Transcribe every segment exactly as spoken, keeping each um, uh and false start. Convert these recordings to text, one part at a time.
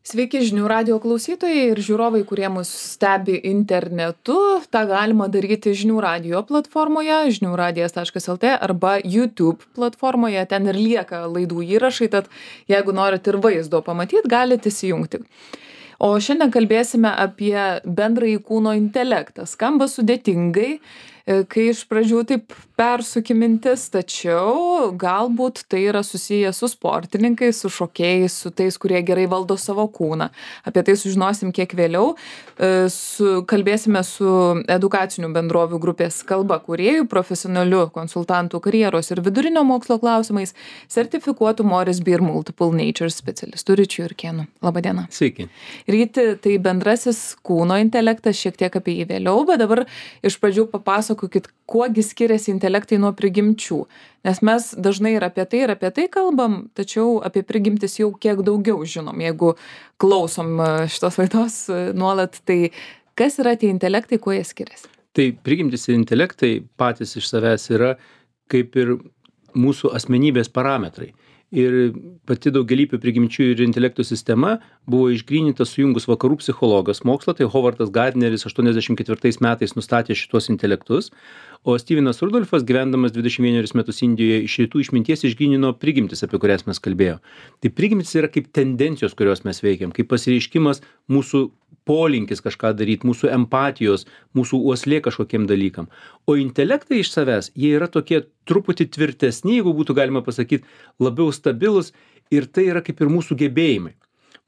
Sveiki žinių radijo klausytojai ir žiūrovai, kurie mus stebi internetu. Ta galima daryti žinių radijo platformoje žinių radijas taškas lt arba YouTube platformoje. Ten ir lieka laidų įrašai, tad jeigu norit ir vaizdo pamatyti, galite įsijungti. O šiandien kalbėsime apie bendrąjį kūno intelektą. Skamba sudėtingai, kai iš pradžių taip persuki mintis, tačiau galbūt tai yra susiję su sportininkais, su šokėjais, su tais, kurie gerai valdo savo kūną. Apie tai sužinosim kiek vėliau. Su, kalbėsime su edukacinių bendrovių grupės Kalba kūrėjų, profesionaliu konsultantų karjeros ir vidurinio mokslo klausimais, sertifikuotu Morris Beer Multiple Nature specialistu Ryčiu Jurkėnu. Labadiena. Sveiki. Ryti, tai bendrasis kūno intelektas, šiek tiek apie jį vėliau, bet dabar iš pradžių papasakokit, kuogi skiriasi intelektai nuo prigimčių. Nes mes dažnai ir apie tai, ir apie tai kalbam, tačiau apie prigimtis jau kiek daugiau žinom. Jeigu klausom šitos laidos nuolat, tai kas yra tie intelektai, kuo jie skiriasi? Tai prigimtis ir intelektai patys iš savęs yra kaip ir mūsų asmenybės parametrai. Ir pati daugialypių prigimčių ir intelektų sistema buvo išgryninta sujungus vakarų psichologas mokslo, tai Hovardas Gardneris aštuoniasdešimt ketvirtais metais nustatė šitos intelektus, o Stevenas Rudolfas, gyvendamas dvidešimt vienerius metus Indijoje, iš rytų išminties išgrynino prigimtis, apie kurias mes kalbėjome. Tai prigimtis yra kaip tendencijos, kurios mes veikiam, kaip pasireiškimas mūsų polinkis kažką daryti, mūsų empatijos, mūsų uoslė kažkokiem dalykam. O intelektai iš savęs, jie yra tokie truputį tvirtesni, jeigu būtų galima pasakyti, labiau stabilus, ir tai yra kaip ir mūsų gebėjimai.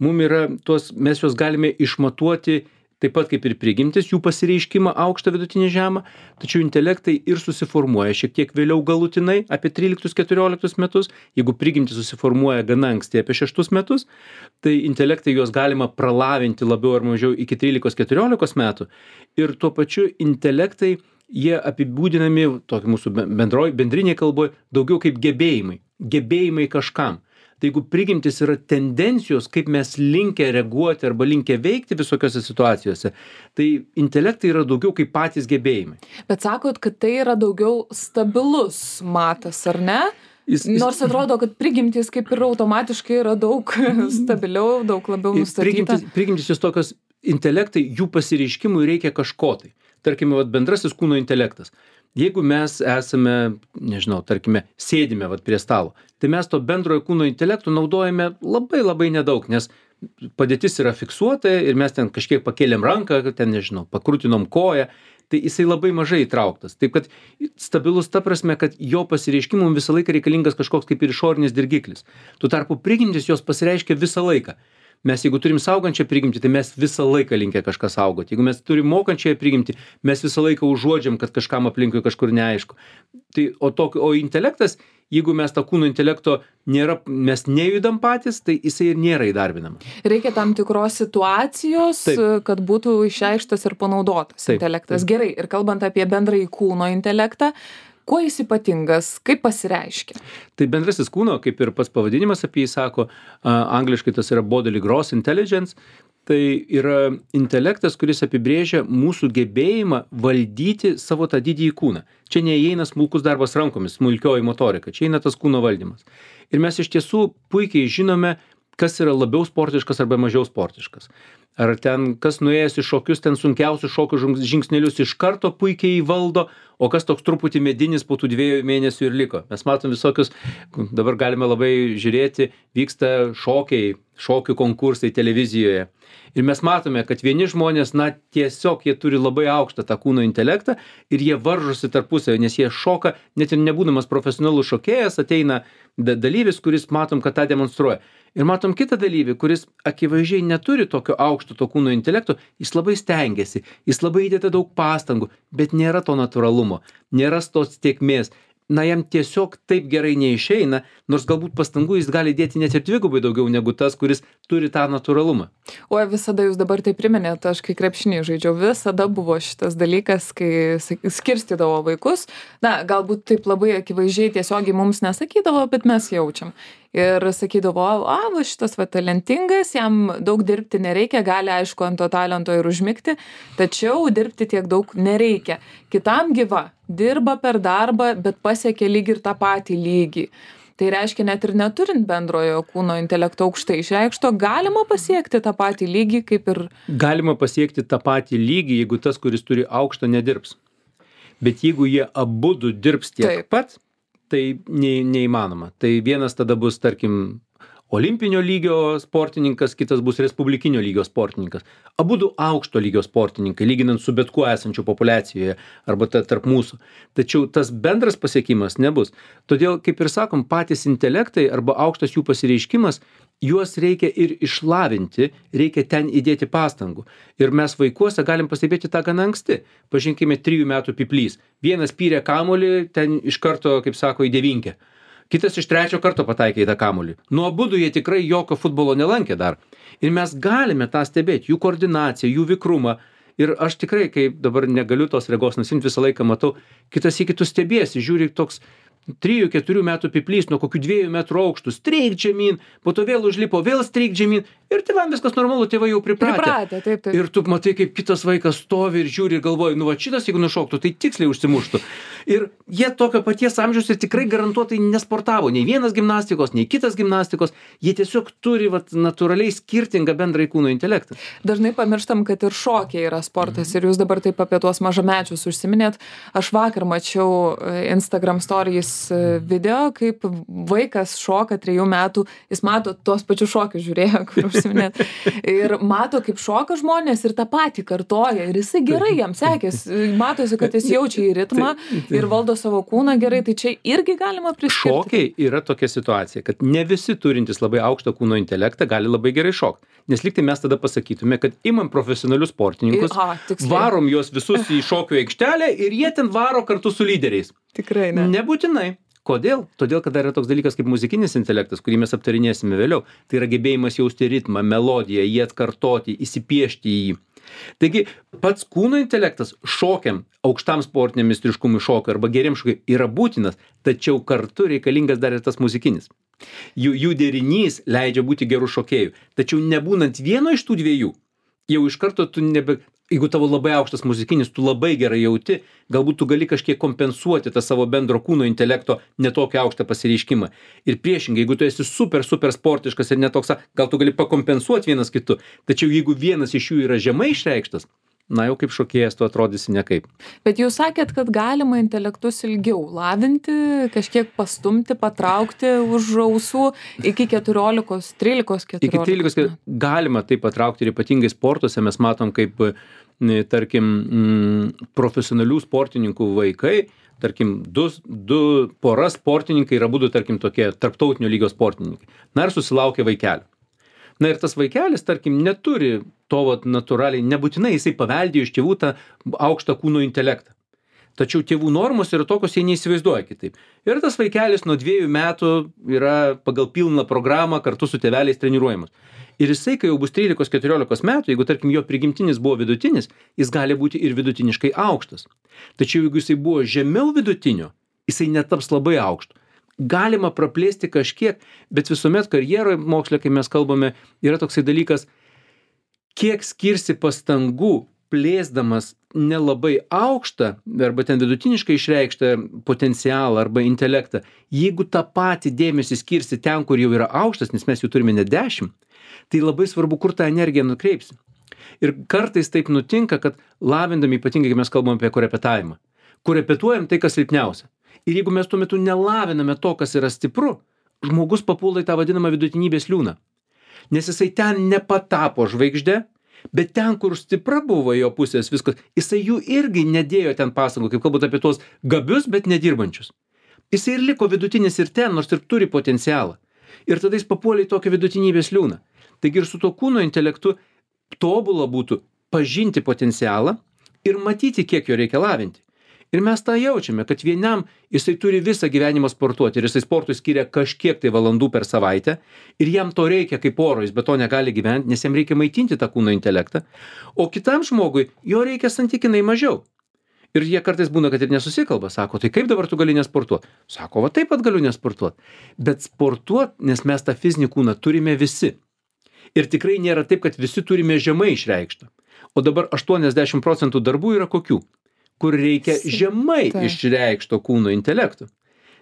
Mum yra tos, mes juos galime išmatuoti taip pat kaip ir prigimtis, jų pasireiškimą aukštą, vidutinį, žemą, tačiau intelektai ir susiformuoja šiek tiek vėliau galutinai, apie tryliktus keturioliktus metus, jeigu prigimtis susiformuoja gana anksti apie šeštus metus, tai intelektai juos galima pralavinti labiau ar mažiau iki trylikos keturiolikos metų, ir tuo pačiu intelektai, jie apibūdinami, tokia mūsų bendroj, bendrinėje kalboje, daugiau kaip gebėjimai, gebėjimai kažkam. Tai jeigu prigimtis yra tendencijos, kaip mes linkę reaguoti arba linkę veikti visokiose situacijose, tai intelektai yra daugiau kaip patys gebėjimai. Bet sakot, kad tai yra daugiau stabilus matas, ar ne? Jis, jis... Nors atrodo, kad prigimtis kaip ir automatiškai yra daug stabiliau, daug labiau nustatyta. Prigimtis, prigimtis jūs tokios intelektai, jų pasireiškimui reikia kažko tai. Tarkime, vat, bendrasis kūno intelektas. Jeigu mes esame, nežinau, tarkime, sėdime vat prie stalo, tai mes to bendrojo kūno intelektų naudojame labai labai nedaug, nes padėtis yra fiksuota ir mes ten kažkiek pakėlėm ranką, ten, nežinau, pakrutinom koją, tai jisai labai mažai įtrauktas. Taip kad stabilus ta prasme, kad jo pasireiškimum visą laiką reikalingas kažkoks kaip ir išorinis dirgiklis. Tuo tarpu prigimtis jos pasireiškia visą laiką. Mes jeigu turim saugančią prigimtį, tai mes visą laiką linkę kažką saugoti. Jeigu mes turim mokančią prigimtį, mes visą laiką užuodžiam, kad kažkam aplinkui kažkur neaišku. Tai, o, to, o intelektas, jeigu mes tą kūno intelekto nėra, mes nejudam patys, tai jisai ir nėra įdarbinama. Reikia tam tikros situacijos, taip, kad būtų išreikštas ir panaudotas taip, intelektas. Taip. Gerai, ir kalbant apie bendrąjį kūno intelektą, kuo jis ypatingas, kaip pasireiškia? Tai bendrasis kūno, kaip ir pats pavadinimas apie jį sako, angliškai tas yra bodily gross intelligence, tai yra intelektas, kuris apibrėžia mūsų gebėjimą valdyti savo tą didįjį kūną. Čia neįeina smulkus darbas rankomis, smulkioji motorika, čia eina tas kūno valdymas. Ir mes iš tiesų puikiai žinome, kas yra labiau sportiškas arba mažiau sportiškas. Ar ten, kas nuėjęs į šokius, ten sunkiausius šokių žingsnelius iš karto puikiai įvaldo, o kas toks truputį medinis po tų dviejų mėnesių ir liko. Mes matom visokius, dabar galime labai žiūrėti, vyksta šokiai, šokių konkursai televizijoje. Ir mes matome, kad vieni žmonės, na, tiesiog jie turi labai aukštą tą kūno intelektą ir jie varžosi tarpusavį, nes jie šoka, net ir nebūdamas profesionalus šokėjas, ateina dalyvis, kuris matom, kad tą demonstruoja. Ir matom kitą dalyvį, kuris akivaizdžiai neturi tokio aukšto to kūno intelekto, jis labai stengiasi, jis labai įdeda daug pastangų, bet nėra to natūralumo, nėra tos tiekmės. Na, jam tiesiog taip gerai neišeina, nors galbūt pastangų jis gali dėti net ir dvigubai daugiau negu tas, kuris turi tą natūralumą. O visada jūs dabar tai priminėte, aš kai krepšinį žaidžiau, visada buvo šitas dalykas, kai skirstydavo vaikus. Na, galbūt taip labai akivaizdžiai tiesiogiai mums nesakydavo, bet mes jaučiam. Ir sakydavo, a, va, šitas va talentingas, jam daug dirbti nereikia, gali aišku ant to talento ir užmigti, tačiau dirbti tiek daug nereikia. Kitam gyva, dirba per darbą, bet pasiekia lyg ir tą patį lygį. Tai reiškia, net ir neturint bendrojo kūno intelekto aukštai išreikšto, galima pasiekti tą patį lygį kaip ir... Galima pasiekti tą patį lygį, jeigu tas, kuris turi aukštą, nedirbs. Bet jeigu jie abudu dirbs tiek Taip. pat, tai ne, neįmanoma. Tai vienas tada bus, tarkim, olimpinio lygio sportininkas, kitas bus respublikinio lygio sportininkas. Abudu aukšto lygio sportininkai, lyginant su bet kuo esančiu populiacijoje arba ta, tarp mūsų. Tačiau tas bendras pasiekimas nebus. Todėl, kaip ir sakom, patys intelektai arba aukštas jų pasireiškimas, juos reikia ir išlavinti, reikia ten įdėti pastangų. Ir mes vaikuose galim pastebėti tą gana anksti. Pažinkime, trijų metų piplys. Vienas pyrė kamuolį, ten iš karto, kaip sako, į devinkę. Kitas iš trečio karto pataikė į tą kamuolį. Nuo abudu jie tikrai jokio futbolo nelankė dar. Ir mes galime tą stebėti, jų koordinaciją, jų vikrumą. Ir aš tikrai, kai dabar negaliu tos regos nusiimti, visą laiką matau, kitas į kitus stebėsi, žiūri toks trijų keturių metų piplys nuo kokių dviejų metrų aukštų, streik žemyn, po to vėl užlipo, vėl streik žemyn. Ir tėvam viskas normalu, tėvai jau pripratę. Pripratę, taip, taip. Ir tu matai, kaip kitas vaikas stovi ir žiūri ir galvoja, nu va šitas, jeigu nušoktų, tai tiksliai užsimuštų. Ir jie tokio paties amžiaus ir tikrai garantuotai nesportavo, nei vienas gimnastikos, nei kitas gimnastikos. Jie tiesiog turi vat, natūraliai skirtingą bendrąjį kūno intelektą. Dažnai pamirštam, kad ir šokiai yra sportas. Ir jūs dabar taip apie tuos mažamečius užsiminėt. Aš vakar mačiau Instagram stories video, kaip vaikas šoka trejų metų, jis mato tuos pačius šokius žiūrėjo, kur užsiminėt. Ir mato, kaip šoka žmonės ir tą patį kartoja. Ir jisai gerai jam sekės. Matosi, kad jis jaučia į ritmą ir valdo savo kūną gerai. Tai čia irgi galima priskirti. Šokiai yra tokia situacija, kad ne visi turintys labai aukštą kūno intelektą gali labai gerai šokti. Nes liktai mes tada pasakytume, kad imam profesionalius sportininkus, Aha, tiksliai. varom juos visus į šokių aikštelę ir jie ten varo kartu su lyderiais. Tikrai ne. Nebūtinai. Kodėl? Todėl, kad dar yra toks dalykas kaip muzikinis intelektas, kurį mes aptarinėsime vėliau. Tai yra gebėjimas jausti ritmą, melodiją, jį atkartoti, įsipiešti į jį. Taigi, pats kūno intelektas šokiam, aukštam sportiniam meistriškumui šokio arba geriam šokiui yra būtinas, tačiau kartu reikalingas dar ir tas muzikinis. Jų, jų derinys leidžia būti gerų šokėjų. Tačiau nebūnant vieno iš tų dviejų, jau iš karto tu nebe... Jeigu tavo labai aukštas muzikinis, tu labai gerai jauti, galbūt tu gali kažkiek kompensuoti tą savo bendro kūno intelekto netokį aukštą pasireiškimą. Ir priešingai, jeigu tu esi super, super sportiškas ir netoks, gal tu gali pakompensuoti vienas kitu. Tačiau jeigu vienas iš jų yra žemai išreikštas, na jau kaip šokėjas tu atrodysi nekaip. Bet jūs sakėt, kad galima intelektus ilgiau lavinti, kažkiek pastumti, patraukti už ausų iki keturiolikos, trylikos, keturiolikos. Iki trylikos galima tai patraukti ir ypatingai sportuose mes matom, kaip, tarkim, profesionalių sportininkų vaikai, tarkim, du, du pora sportininkai yra būdų, tarkim, tokie tarptautinio lygio sportininkai. Na ir susilaukia vaikelio. Na ir tas vaikelis, tarkim, neturi to vat, natūraliai, nebūtinai jisai paveldėjo iš tėvų tą aukštą kūno intelektą. Tačiau tėvų normos yra tokios, jie neįsivaizduoja kitaip. Ir tas vaikelis nuo dviejų metų yra pagal pilną programą kartu su tėveliais treniruojamas. Ir jisai, kai jau bus trylikos keturiolikos metų, jeigu, tarkim, jo prigimtinis buvo vidutinis, jis gali būti ir vidutiniškai aukštas. Tačiau jeigu jisai buvo žemiau vidutinio, jisai netaps labai aukštu. Galima praplėsti kažkiek, bet visuomet karjeroje moksle, kai mes kalbame, yra toksai dalykas, kiek skirsi pastangų plėsdamas nelabai aukštą arba ten vidutiniškai išreikštą potencialą arba intelektą, jeigu tą patį dėmesį skirsi ten, kur jau yra aukštas, nes mes jų turime net dešimt, tai labai svarbu, kur tą energiją nukreipsi. Ir kartais taip nutinka, kad lavindami, ypatingai, kai mes kalbame apie korepetavimą, korepetuojam tai, kas silpniausia. Ir jeigu mes tuo metu nelaviname to, kas yra stipru, žmogus papuola į tą vadinamą vidutinybės liūną. Nes jisai ten nepatapo žvaigždė, bet ten, kur stipra buvo jo pusės viskas, jisai jų irgi nedėjo ten pastangų, kaip kalbant apie tuos gabius, bet nedirbančius. Jisai ir liko vidutinis ir ten, nors ir turi potencialą. Ir tada jis papuolė į tokią vidutinybės liūną. Taigi ir su to kūno intelektu tobula būtų pažinti potencialą ir matyti, kiek jo reikia lavinti. Ir mes tą jaučiame, kad vienam jisai turi visą gyvenimą sportuoti ir jisai sportui skiria kažkiek tai valandų per savaitę ir jam to reikia kaip oro, jis be to negali gyventi, nes jam reikia maitinti tą kūno intelektą, o kitam žmogui jo reikia santykinai mažiau. Ir jie kartais būna, kad ir nesusikalba, sako, tai kaip dabar tu gali nesportuoti? Sako, va taip pat galiu nesportuoti. Bet sportuoti, nes mes tą fizinį kūną turime visi. Ir tikrai nėra taip, kad visi turime žemai išreikštą. O dabar aštuoniasdešimt procentų darbų yra kokių? Kur reikia žemai Taip. išreikšto kūno intelekto.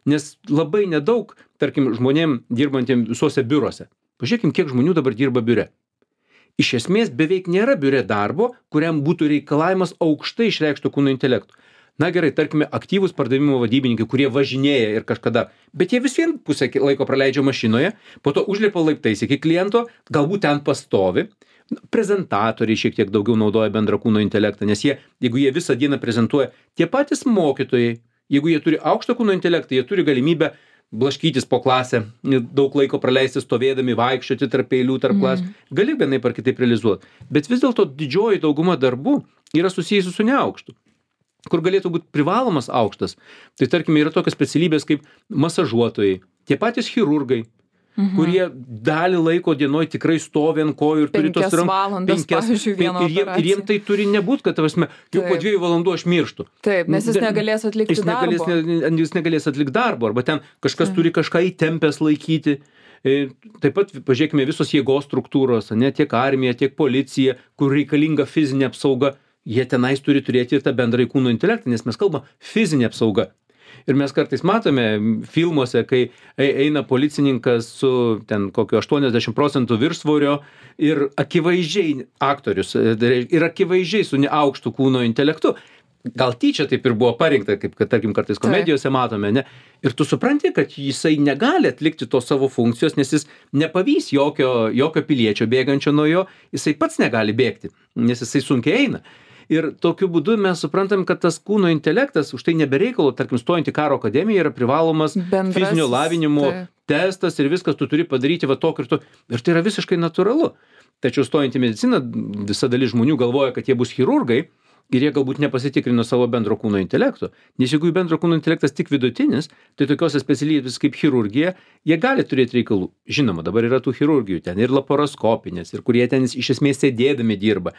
Nes labai nedaug, tarkim, žmonėm dirbantiem visuose biurose. Pažiūrėkim, kiek žmonių dabar dirba biure. Iš esmės beveik nėra biure darbo, kuriam būtų reikalavimas aukštai išreikšto kūno intelekto. Na gerai, tarkime, aktyvūs pardavimo vadybininkai, kurie važinėja ir kažkada, bet jie vis vien pusę laiko praleidžia mašinoje, po to užlipa laiptais iki kliento, galbūt ten pastovi. Prezentatoriai šiek tiek daugiau naudoja bendrą kūno intelektą, nes jie, jeigu jie visą dieną prezentuoja, tie patys mokytojai, jeigu jie turi aukštą kūno intelektą, jie turi galimybę blaškytis po klasę, daug laiko praleisti stovėdami, vaikščioti tarp eilių, tarp klasių, gali vienaip ar kitaip realizuoti. Bet vis dėlto didžioji dauguma darbų yra susijusi su neaukštu, kur galėtų būti privalomas aukštas. Tai tarkime, yra tokios specialybės kaip masažuotojai, tie patys chirurgai, mhm. kurie dalį laiko dienoj tikrai stovi ant kojų ir turi tos penkias valandas, pavyzdžiui, vieną ir, jiem, ir jiem tai turi nebūt, kad tavasme, jau po dviejų valandų aš mirštu. Taip, nes jis negalės atlikti jis negalės, darbo. Ne, jis negalės atlikti darbo, arba ten kažkas Taip. Turi kažką įtempęs laikyti. Taip pat, pažiūrėkime, visos jėgos struktūros, ne, tiek armija, tiek policija, kur reikalinga fizinė apsauga, jie tenais turi turėti ir tą bendrąjį kūno intelektą, nes mes kalbam fizinė apsauga. Ir mes kartais matome filmuose, kai eina policininkas su ten kokio aštuoniasdešimt procentų viršsvorio ir akivaizdžiai aktorius, ir akivaizdžiai su neaukštu kūno intelektu. Gal tyčia taip ir buvo parinkta, kaip, kad, tarkim, kartais komedijose matome, ne? Ir tu supranti, kad jisai negali atlikti tos savo funkcijos, nes jis nepavys jokio, jokio piliečio bėgančio nuo jo, jisai pats negali bėgti, nes jisai sunkiai eina. Ir tokiu būdu mes suprantam, kad tas kūno intelektas, už tai nebereikalo, tarkim, stojant į karo akademiją, yra privalomas Bendras, fizinio lavinimo tai. testas ir viskas tu turi padaryti va tokį ir to. Ir tai yra visiškai natūralu. Tačiau stojant į mediciną, visa dalis žmonių galvoja, kad jie bus chirurgai ir jie galbūt nepasitikrino savo bendro kūno intelekto. Nes jeigu jų bendro kūno intelektas tik vidutinis, tai tokiose specialybės kaip chirurgija, jie gali turėti reikalų. Žinoma, dabar yra tų chirurgijų, ten ir laparoskopinės, ir kurie ten iš esmės sėdėdami dirba.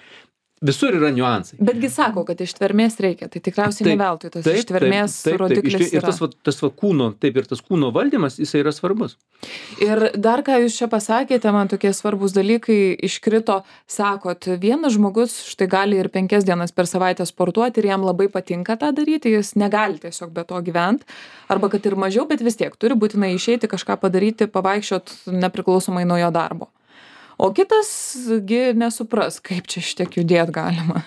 Visur yra niuansai. Betgi sako, kad ištvermės reikia, tai tikriausiai taip, ne veltui tas taip, ištvermės taip, taip, rodiklis taip, ir tas, va, tas va kūno, taip ir tas kūno valdymas, jisai yra svarbus. Ir dar ką jūs čia pasakėte, man tokie svarbus dalykai iškrito, sakot, vienas žmogus štai gali ir penkias dienas per savaitę sportuoti ir jam labai patinka tą daryti, jis negali tiesiog be to gyventi, arba kad ir mažiau, bet vis tiek turi būtinai išeiti, kažką padaryti, pavaikščiot nepriklausomai nuo jo darbo. O kitas gi nesupras, kaip čia šitiek judėt galima.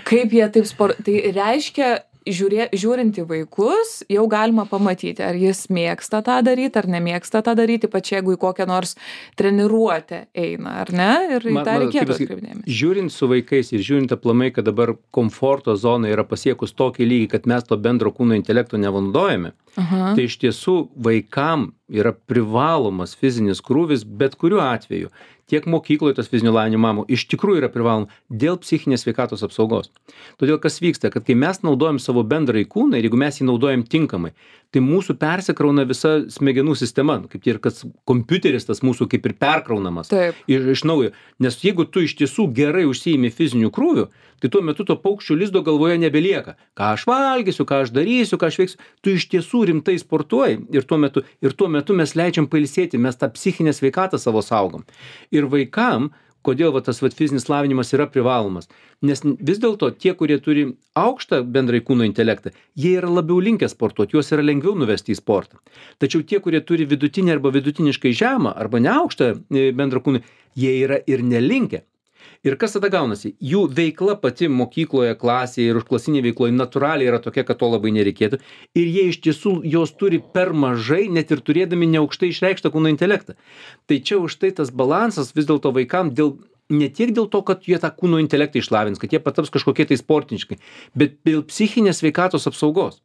Kaip jie taip sport... Tai reiškia, žiūrė, žiūrint į vaikus, jau galima pamatyti, ar jis mėgsta tą daryti, ar nemėgsta tą daryti, ypač jeigu į kokią nors treniruotę eina, ar ne? Ir į tą reikėtų atkreipdėmėsi. Žiūrint su vaikais ir žiūrint aplamai, kad dabar komforto zona yra pasiekus tokį lygį, kad mes to bendro kūno intelekto nenaudojame, Aha. tai iš tiesų vaikam yra privalomas fizinis krūvis bet kuriuo atveju. Tiek mokykloje tas fizinio lavinimo mamų iš tikrųjų yra privaloma dėl psichinės sveikatos apsaugos. Todėl kas vyksta, kad kai mes naudojam savo bendrąjį kūną ir jeigu mes jį naudojam tinkamai, tai mūsų persikrauna visa smegenų sistema, kaip ir kad kompiuteris tas mūsų kaip ir perkraunamas iš, iš naujo. Nes jeigu tu iš tiesų gerai užsiimi fiziniu krūviu, tai tuo metu to paukščio lizdo galvoje nebelieka. Ką aš valgysiu, ką aš darysiu, ką aš veiksiu. Tu iš tiesų rimtai sportuoji ir tuo metu, ir tuo metu mes leidžiam pailsėti, mes tą psichinę sveikatą savo saugom. Ir vaikam, kodėl va, tas va, fizinis lavinimas yra privalomas. Nes vis dėlto tie, kurie turi aukštą bendrąjį kūno intelektą, jie yra labiau linkę sportuoti, juos yra lengviau nuvesti į sportą. Tačiau tie, kurie turi vidutinį arba vidutiniškai žemą arba neaukštą bendrą kūną, jie yra ir nelinkę. Ir kas tada gaunasi? Jų veikla pati mokykloje, klasėje ir užklasinėje veikloje natūraliai yra tokia, kad to labai nereikėtų. Ir jie iš tiesų jos turi per mažai, net ir turėdami neaukštai išreikštą kūno intelektą. Tai čia už tai tas balansas vis dėlto vaikam dėl, ne tiek dėl to, kad jie tą kūno intelektą išlavins, kad jie pataps kažkokie tai sportiškai, bet dėl psichinės sveikatos apsaugos.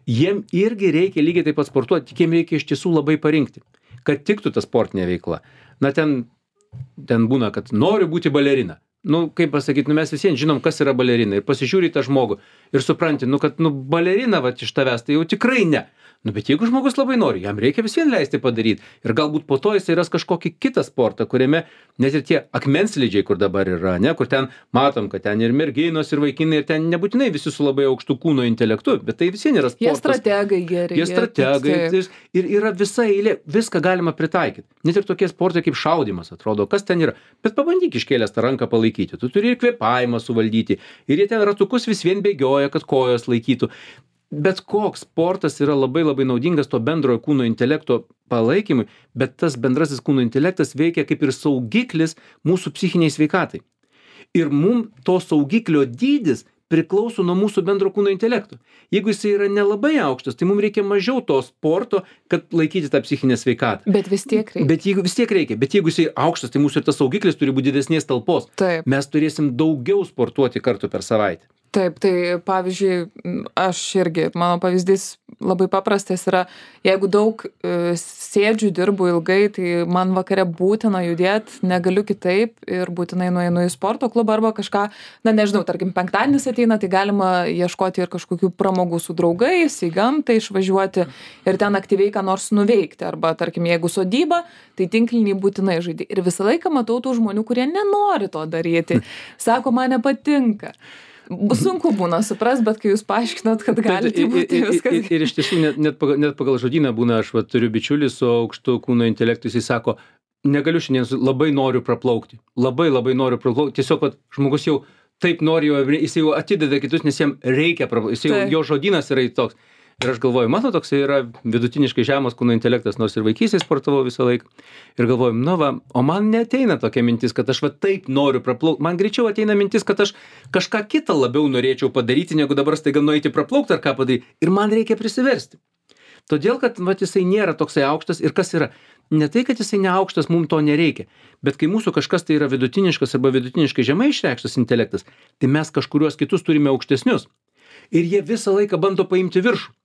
Jiem irgi reikia lygiai taip pat sportuoti, tik jiem reikia iš tiesų labai parinkti, kad tiktų ta sportinė veikla. Na ten ten būna, kad noriu būti balerina. Nu, kaip pasakyti, nu mes visiems žinom, kas yra balerina. Ir pasižiūri tą žmogų ir supranti, nu, kad nu, balerina va, iš tavęs, tai jau tikrai ne. Nu, bet jeigu žmogus labai nori, jam reikia vis vien leisti padaryti. Ir galbūt po to jis ras kažkokį kitą sportą, kuriame net ir tie akmenslydžiai, kur dabar yra, ne, kur ten matom, kad ten ir merginos, ir vaikinai, ir ten nebūtinai visi su labai aukštu kūno intelektu, bet tai vis vien yra sportas. Jie strategai geri. Jie strategai. Ir, ir yra visa eilė, viską galima pritaikyti. Net ir tokie sportai kaip šaudimas, atrodo, kas ten yra. Bet pabandyk iškėlęs tą ranką palaikyti. Tu turi ir kvėpavimą suvaldyti. Ir jie ten ratukus vis vien bėgioja, kad kojos laikytų. bet koks sportas yra labai labai naudingas to bendrojo kūno intelekto palaikymui, bet tas bendrasis kūno intelektas veikia kaip ir saugiklis mūsų psichiniai sveikatai. Ir mum to saugiklio dydis priklauso nuo mūsų bendro kūno intelekto. Jeigu jis yra nelabai aukštas, tai mums reikia mažiau to sporto, kad laikyti tą psichinę sveikatą. Bet vis tiek reikia. Bet jeigu vis tiek reikia, bet jeigu jis aukštas, tai mūsų ir tas saugiklis turi būti didesnės talpos. Taip. Mes turėsim daugiau sportuoti kartų per savaitę. Taip, tai pavyzdžiui, aš irgi, mano pavyzdys labai paprastas yra, jeigu daug e, sėdžiu, dirbu ilgai, tai man vakare būtina judėti, negaliu kitaip ir būtinai nueinu į sporto klubą arba kažką, na nežinau, tarkim, penktadienis ateina, tai galima ieškoti ir kažkokių pramogų su draugais, į gamtą išvažiuoti ir ten aktyviai ką nors nuveikti. Arba, tarkim, jeigu sodyba, tai tinklinį būtinai žaidži. Ir visą laiką matau tų žmonių, kurie nenori to daryti. Sako, man nepatinka. Sunku būna supras, bet kai jūs paaiškinot, kad galite būti viskas. Ir, ir, ir iš tiesų net, net, pagal, net pagal žodyną būna, aš va, turiu bičiulį su aukštu kūno intelektu, jis sako, negaliu šiandien, labai noriu praplaukti, labai labai noriu praplaukti, tiesiog va, žmogus jau taip nori, jis jau atideda kitus, nes jam reikia praplaukti, jis jau, jo žodynas yra toks. Ir aš galvoju, mano toks yra vidutiniškai žemas kūno intelektas, nors ir vaikystėje sportavau visą laiką. Ir galvoju, nu va, o man neateina tokia mintis, kad aš va taip noriu praplaukti. Man greičiau ateina mintis, kad aš kažką kitą labiau norėčiau padaryti, negu dabar staiga nueiti praplaukti ar ką padaryti. Ir man reikia prisiversti. Todėl, kad va, jisai nėra toksai aukštas. Ir kas yra? Ne tai, kad jisai neaukštas, mums to nereikia. Bet kai mūsų kažkas tai yra vidutiniškas arba vidutiniškai žemai išreikštas intelektas, tai mes kažkuriuos kitus turime aukštesnius. Ir jie visą laiką bando paimti viršų.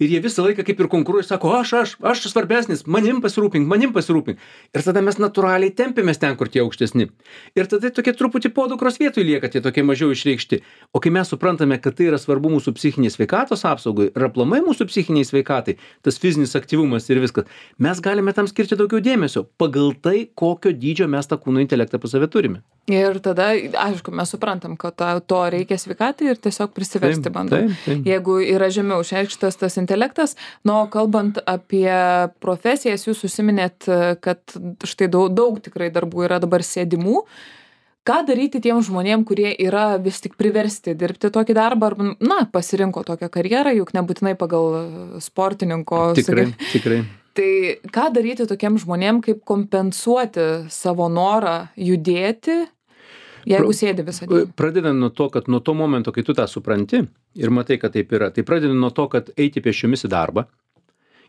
Ir jie visą laiką kaip ir konkuruoja, sako, aš, aš, aš svarbesnis, manim pasirūpink, manim pasirūpink. Ir tada mes natūraliai tempėmės ten, kur tie aukštesni. Ir tada tokie truputį podukros vietoj lieka, tie tokie mažiau išreikšti. O kai mes suprantame, kad tai yra svarbu mūsų psichinės sveikatos apsaugai ir aplamai mūsų psichiniai sveikatai, tas fizinis aktyvumas ir viskas, mes galime tam skirti daugiau dėmesio pagal tai, kokio dydžio mes tą kūno intelektą pas save turime. Ir tada, aišku, mes suprantam, kad to reikia sveikatai ir tiesiog prisiversti bandom. Taip, taip. Jeigu yra žemiau išreikštas tas intelektas, nu, kalbant apie profesijas, jūs užsiminėt, kad štai daug, daug tikrai darbų yra dabar sėdimų. Ką daryti tiem žmonėm, kurie yra vis tik priversti dirbti tokį darbą, arba, na, pasirinko tokią karjerą, juk nebūtinai pagal sportininko. Tikrai, sakai. tikrai. Tai ką daryti tokiem žmonėm, kaip kompensuoti savo norą judėti, jeigu Pra, sėdi visą dieną? Pradedant nuo to, kad nuo to momento, kai tu tą supranti ir matai, kad taip yra, tai pradedant nuo to, kad eiti pėsčiomis į darbą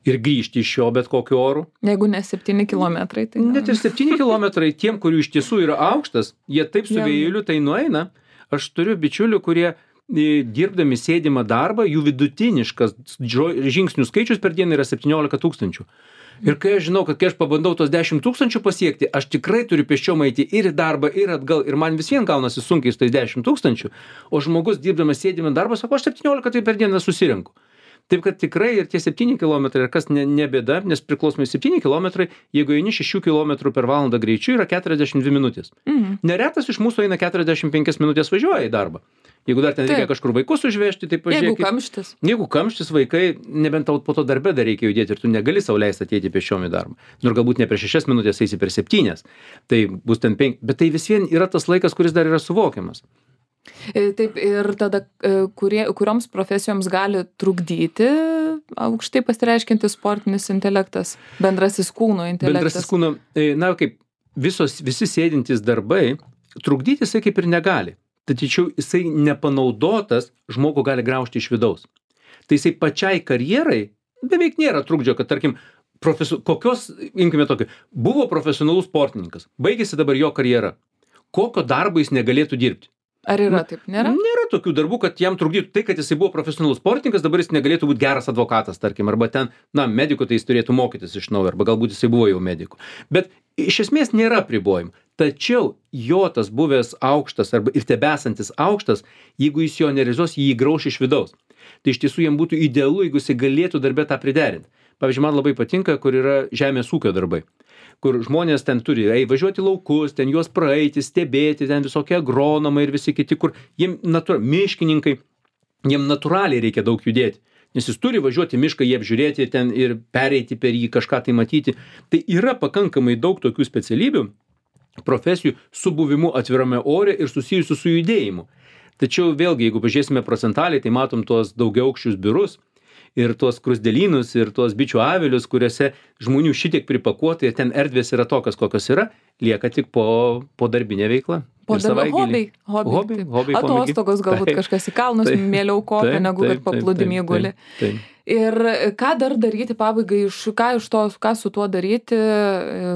ir grįžti iš jo bet kokiu oru. Jeigu ne septyni kilometrai, tai... Net ir septyni kilometrai tiem, kurių iš tiesų yra aukštas, jie taip su vėjeliu tai nueina. Aš turiu bičiulių, kurie dirbdami sėdimą darbą, jų vidutiniškas žingsnių skaičius per dieną yra septyniolika tūkstančių. Ir kai aš žinau, kad kai aš pabandau tos dešimt tūkstančių pasiekti, aš tikrai turiu pėsčiom eiti ir į darbą, ir atgal, ir man vis vien gaunasi sunkiai su tais dešimt tūkstančių, o žmogus dirbdamas sėdimą darbą sako, aš septyniolika tai per dieną susirinku. Taip kad tikrai ir tie septyni kilometrai, ir kas ne, ne bėda, nes priklausomai septyni kilometrai, jeigu eini šešių kilometrų per valandą greičiu, yra keturiasdešimt dvi minutės. Mhm. Neretas iš mūsų eina keturiasdešimt penkias minutės važiuoja į darbą. Jeigu dar ten reikia kažkur vaikus užvežti, tai pažiūrėkit. Jeigu kamštis. Jeigu kamštis vaikai, nebent tau po to darbe dar reikia judėti ir tu negali sau leisti ateiti pėsčiom į darbą. Nors galbūt ne per šešias minutės eisi per septynias. Tai bus ten penki, bet tai vis vien yra tas laikas, kuris dar yra suvokiamas. Taip, ir tada kurie, kurioms profesijoms gali trukdyti aukštai pasireiškiantis sportinis intelektas, bendrasis kūno intelektas? Bendrasis kūno, na kaip, visos, visi sėdintys darbai, trukdyti jisai kaip ir negali. Tačiau jisai nepanaudotas žmogų gali graužti iš vidaus. Tai jisai pačiai karjerai beveik nėra trukdžio, kad tarkim, profesu, kokios, imkime tokį, buvo profesionalus sportininkas, baigėsi dabar jo karjera. Kokio darbo jis negalėtų dirbti? Ar yra taip? Nėra? Nėra tokių darbų, kad jam trukdytų tai, kad jisai buvo profesionalus sportininkas, dabar jis negalėtų būti geras advokatas, tarkim, arba ten, na, medikų tai jis turėtų mokytis iš naujo, arba galbūt jisai buvo jau medikų. Bet iš esmės nėra apribojimų. Tačiau jo tas buvęs aukštas arba ir tebesantis aukštas, jeigu jis jo nerealizuos, jį grauš iš vidaus. Tai iš tiesų jam būtų idealu, jeigu jisai galėtų darbę tą priderinti. Pavyzdžiui, man labai patinka, kur yra žemės ūkio darbai, kur žmonės ten turi ei, važiuoti laukus, ten juos praeiti, stebėti, ten visokie agronomai ir visi kiti, kur jiem natūra, miškininkai, jiem natūraliai reikia daug judėti. Nes jis turi važiuoti mišką, jį apžiūrėti ten ir pereiti per jį, kažką tai matyti. Tai yra pakankamai daug tokių specialybių, profesijų su buvimu atvirame ore ir susijusių su judėjimu. Tačiau vėlgi, jeigu pažiūrėsime procentaliai, tai matom tuos daugiaaukščius biurus ir tuos krusdėlynus ir tuos bičių avilius, kuriuose žmonių šitiek pripakuota ir ten erdvės yra tokios, kokios yra, lieka tik po, po darbinė veikla. Po darbo hobiai. Hobiai, hobiai, atostogos galbūt taip, kažkas į kalnus taip, mieliau kopia, taip, negu kad paplūdimį guli. Taip, taip. Ir ką dar daryti pabaigai, iš, ką iš to, ką su tuo daryti,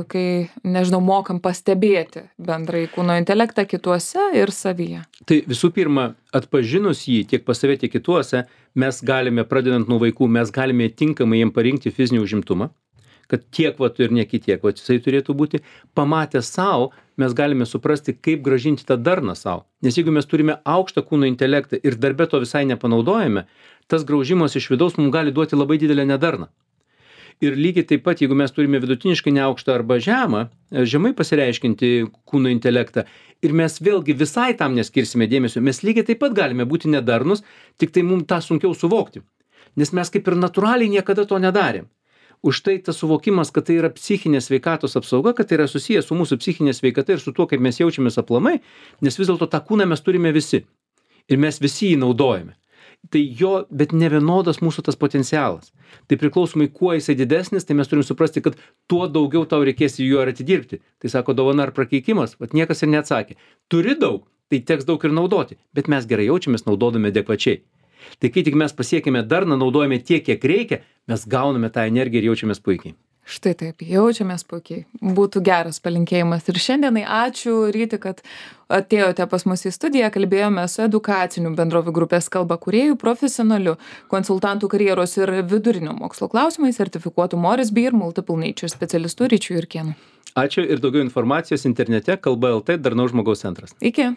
kai, nežinau, mokam pastebėti bendrai kūno intelektą kituose ir savyje? Tai visų pirma, atpažinus jį tiek pas save, tiek kituose, mes galime, pradedant nuo vaikų, mes galime tinkamai jiem parinkti fizinį užimtumą, kad tiek vat ir ne kitiek vat jisai turėtų būti. Pamatę savo, mes galime suprasti, kaip grąžinti tą darną savo. Nes jeigu mes turime aukštą kūno intelektą ir darbe to visai nepanaudojame, tas graužimas iš vidaus mums gali duoti labai didelę nedarną. Ir lygiai taip pat, jeigu mes turime vidutiniškai neaukštą arba žemą, žemai pasireiškinti kūno intelektą, ir mes vėlgi visai tam neskirsime dėmesio, mes lygiai taip pat galime būti nedarnus, tik tai mums tą sunkiau suvokti. Nes mes kaip ir natūraliai niekada to nedarėm. Už tai tas suvokimas, kad tai yra psichinės sveikatos apsauga, kad tai yra susijęs su mūsų psichinė sveikata ir su tuo, kaip mes jaučiamės aplamai, nes vis dėlto tą kūną mes turime visi. Ir mes visi jį naudojame. Tai jo, bet ne vienodas mūsų tas potencialas. Tai priklausomai, kuo jisai didesnis, tai mes turim suprasti, kad tuo daugiau tau reikės jų ir atidirbti. Tai sako dovana ar prakeikimas, vat niekas ir neatsakė. Turi daug, tai teks daug ir naudoti, bet mes gerai jaučiamės naudodami adekvačiai. Tai kai tik mes pasiekime darną, naudojame tiek, kiek reikia, mes gauname tą energiją ir jaučiamės puikiai. Štai taip, jaučiamės puikiai. Būtų geras palinkėjimas. Ir šiandienai ačiū, Ryti, kad atėjote pas mus į studiją, kalbėjome su edukacinių bendrovių grupės kalba kūrėjų, profesionaliu konsultantų karjeros ir vidurinio mokslo klausimais, sertifikuotų Morris B ir Multiple Nature specialistu Ryčiu Jurkėnu. Ačiū ir daugiau informacijos internete kalba L T Darnaus žmogaus centras. Iki.